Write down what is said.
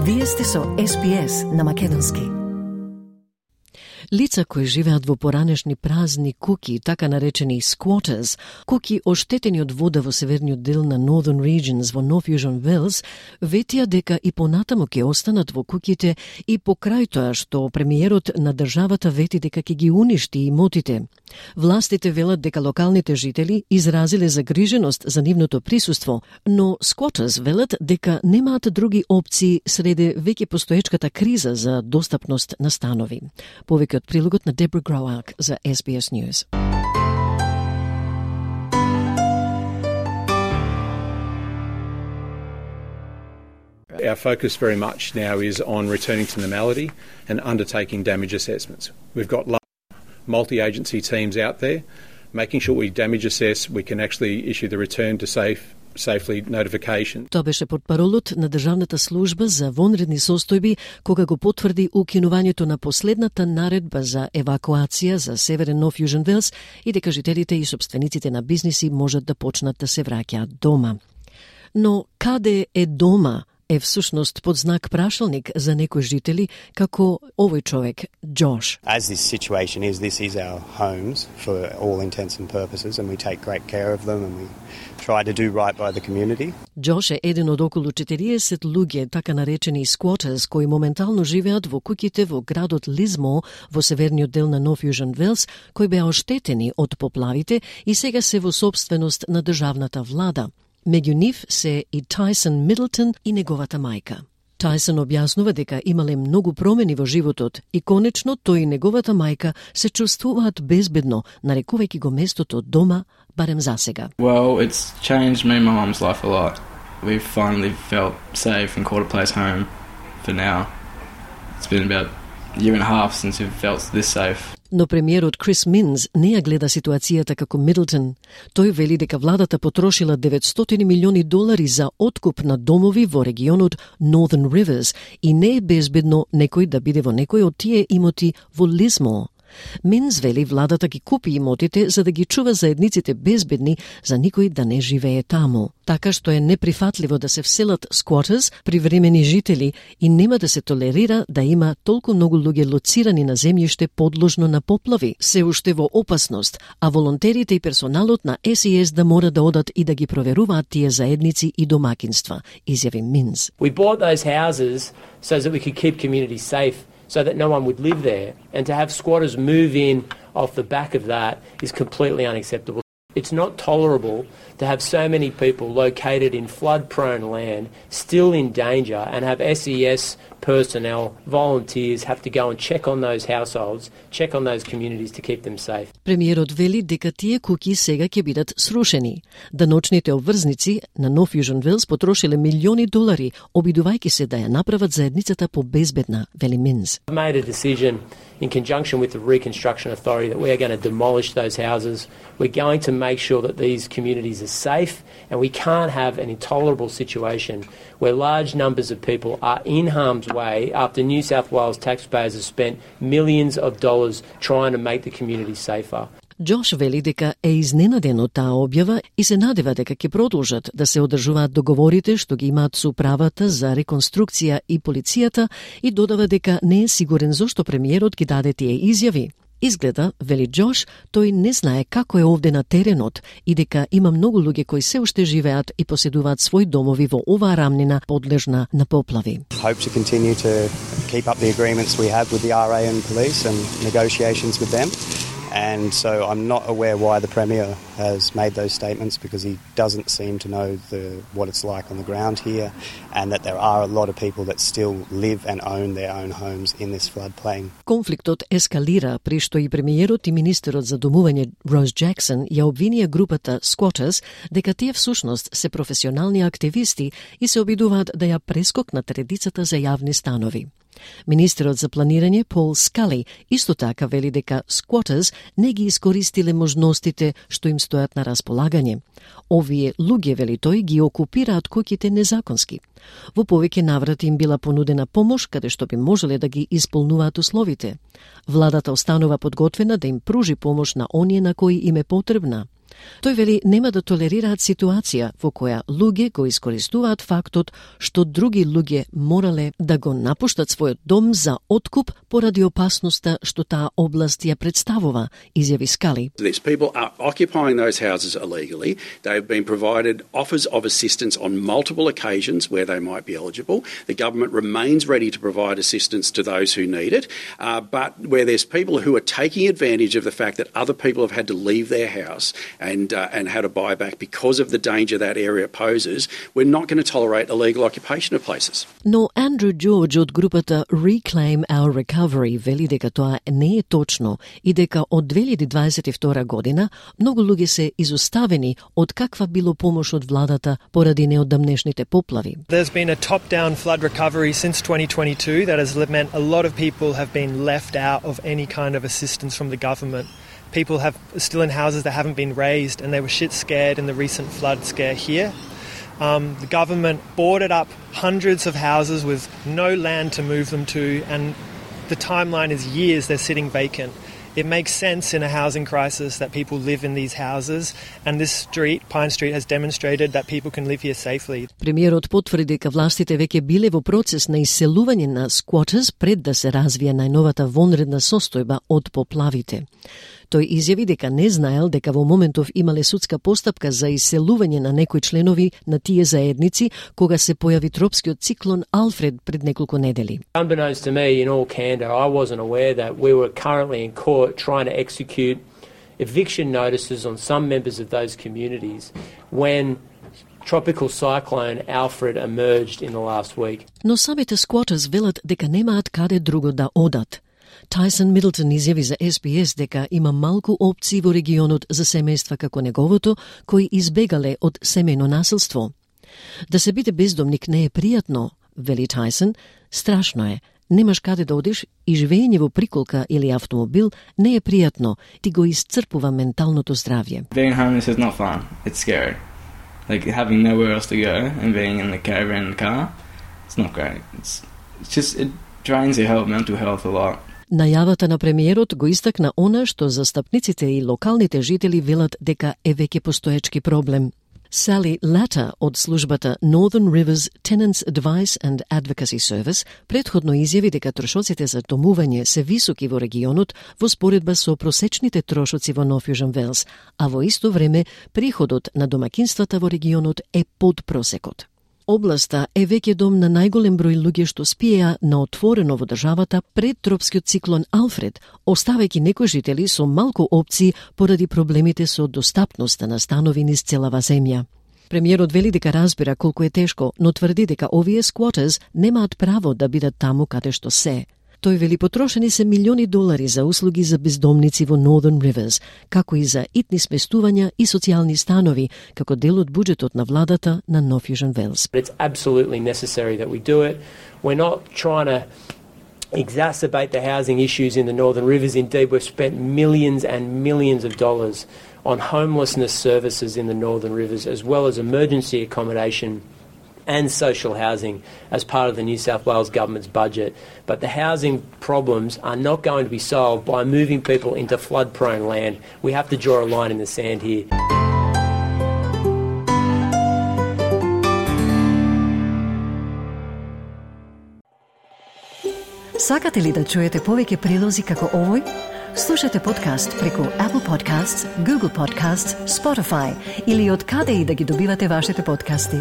Вие сте со SPS на македонски. Лица кои живеат во поранешни празни куки, така наречени squatters, куки оштетени од вода во северниот дел на Northern Regions во North Fusion Wells, ветија дека и понатаму ќе останат во куките и покрај тоа што премиерот на државата вети дека ќе ги уништи имотите. Властите велат дека локалните жители изразиле загриженост за нивното присуство, но squatters велат дека немаат други опции среде веќе постоечката криза за достапност на станови. Повеќе од прилогот на Deborah Groark за SBS News. Our focus very much now is on returning to normality and undertaking damage assessments. We've got multi-agency teams out there, making sure we damage assess, we can actually issue the return to safely notification. Тоа беше портпаролот на Државната служба за вонредни состојби кога го потврди укинувањето на последната наредба за евакуација за Северен North Fusion Wells и дека жителите и собствениците на бизниси можат да почнат да се враќаат дома. Но каде е дома е всушност под знак прашалник за некои жители, како овој човек, Josh. As this situation is, this is our homes for all intents and purposes, and we take great care of them and we try to do right by the community. Josh е еден од околу 40 луѓе, така наречени squatters, кои моментално живеат во куќите во градот Lismore во северниот дел на North Fusion Wells, кои беа оштетени од поплавите и сега се во собственост на државната влада. Меѓу нив се и Tyson Middleton и неговата мајка. Tyson објаснува дека имале многу промени во животот и конечно тој и неговата мајка се чувствуваат безбедно, нарекувајќи го местото дома, барем за сега. Well, it's changed me and my mum's life a lot. We've finally felt safe and called a place home for now. It's been about a year and a half since we've felt this safe. Но премиерот Крис Минс не ја гледа ситуацијата како Мидлтон. Тој вели дека владата потрошила $900 милиони за откуп на домови во регионот Northern Rivers и не е безбедно некој да биде во некој од тие имоти во Lismore. Минс вели владата ги купи имотите за да ги чува заедниците безбедни, за никој да не живее таму. Така што е неприфатливо да се вселат squatters, привремени жители, и нема да се толерира да има толку многу луѓе лоцирани на земјиште подложно на поплави, се уште во опасност, а волонтерите и персоналот на SES да мора да одат и да ги проверуваат тие заедници и домакинства, изјави Минс. We bought those houses so that we could keep communities safe, so that no one would live there, and to have squatters move in off the back of that is completely unacceptable. It's not tolerable to have so many people located in flood-prone land still in danger and have SES personnel, volunteers have to go and check on those households, check on those communities to keep them safe. Премиерот вели дека тие куки сега ќе бидат срушени. Даночните обврзници на North Fusion Wells потрошиле $милиони, обидувајќи се да ја направат заедницата побезбедна, вели Минс. I've made a decision in conjunction with the Reconstruction Authority that we are going to demolish those houses. We're going to make sure that these communities are safe, and we can't have an intolerable situation where large numbers of people are in harm's way after New South Wales taxpayers have spent millions of dollars trying to make the community safer. Джош вели дека е изненаден од таа објава и се надева дека ќе продолжат да се одржуваат договорите што ги имаат со управата за реконструкција и полицијата и додава дека не е сигурен зошто премиерот ги даде тие изјави. Изгледа, вели Джош, тој не знае како е овде на теренот и дека има многу луѓе кои се уште живеат и поседуваат своји домови во оваа рамнина подлежна на поплави. Hope to continue to keep up the agreements we have with the RA and police and negotiations with them. And so I'm not aware why the Premier has made those statements, because he doesn't seem to know what it's like on the ground here, and that there are a lot of people that still live and own their own homes in this floodplain. Конфликтот ескалира при што и премиерот и министерот за домување Роз Джексон ја обвинија групата Squatters дека тие всушност се професионални активисти и се обидуваат да ја прескокнат редицата за јавни станови. Министерот за планирање Пол Скали исто така вели дека squatters не ги искористиле можностите што им стојат на располагање. Овие луѓе, вели тој, ги окупираат куќите незаконски. Во повеќе наврати им била понудена помош каде што би можеле да ги исполнуваат условите. Владата останува подготвена да им пружи помош на оние на кои им е потребна. Тој вели нема да толерираат ситуација во која луѓе го искористуваат фактот што други луѓе морале да го напуштат својот дом за откуп поради опасноста што таа област ја представува, изјави Скали. These people are occupying those houses illegally. They've been provided offers of assistance on multiple occasions where they might be eligible. The government remains ready to provide assistance to those who need it, but where there's people who are taking advantage of the fact that other people have had to leave their house and had a buyback because of the danger that area poses, we're not going to tolerate illegal occupation of places. Но Андрю Джордж од групата Reclaim Our Recovery вели дека тоа не е точно и дека од 2022 година многу луѓе се изоставени од каква било помош од владата поради неодамнешните поплави. There's been a top-down flood recovery since 2022 that has meant a lot of people have been left out of any kind of assistance from the government. People have still in houses that haven't been raised and they were shit scared in the recent flood scare here. The government boarded up hundreds of houses with no land to move them to, and the timeline is years they're sitting vacant. It makes sense in a housing crisis that people live in these houses, and this street, Pine Street, has demonstrated that people can live here safely. Премиерот потврди дека властите веќе биле во процес на иселување на squatters пред да се развие најновата вонредна состојба од поплавите. Тој изјави дека не знаел дека во моментов имале судска постапка за иселување на некои членови на тие заедници кога се појави тропскиот циклон Алфред пред неколку недели. Unbeknownst to me, in all candor, I wasn't aware that we were currently in court trying to execute eviction notices on some members of those communities when tropical cyclone Alfred emerged in the last week. Но самите squatters велат дека немаат каде друго да одат. Тайсон Мидлтон изјави за SBS дека има малку опции во регионот за семејства како неговото, кои избегале од семејно насилство. Да се биде бездомник не е пријатно, вели Тайсон, страшно е. Немаш каде да одиш и живење во приколка или автомобил не е пријатно, ти го исцрпува менталното здравје. Being homeless is not fun. It's scary. Like having nowhere else to go and being in the caravan in the car, it's not great. It's just, it drains your mental health a lot. Најавата на премиерот го истакна она што застапниците и локалните жители велат дека е веќе постоечки проблем. Sally Latta од службата Northern Rivers Tenants Advice and Advocacy Service претходно изјави дека трошоците за домување се високи во регионот во споредба со просечните трошоци во Нов Јужен Велс, а во исто време приходот на домакинствата во регионот е под просекот. Областа е веќе дом на најголем број луѓе што спиеа на отворено во државата пред тропскиот циклон Алфред, оставајќи некои жители со малку опции поради проблемите со достапноста на станови низ целава земја. Премиерот вели дека разбира колку е тешко, но тврди дека овие squatters немаат право да бидат таму каде што се. Тој вели потрошени се милиони долари за услуги за бездомници во Northern Rivers, како и за итни сместувања и социјални станови, како дел од буџетот на владата на Нов Јужен Велс. It's absolutely necessary that we do it. We're not trying to exacerbate the housing issues in the Northern Rivers. Indeed, we've spent millions and millions of dollars on homelessness services in the Northern Rivers, as well as emergency accommodation and social housing as part of the New South Wales government's budget. But the housing problems are not going to be solved by moving people into flood-prone land. We have to draw a line in the sand here. Сакате ли да чуете повеќе прилози како овој? Слушате подкаст преку Apple Podcasts, Google Podcasts, Spotify или од каде и да ги добивате вашите подкасти.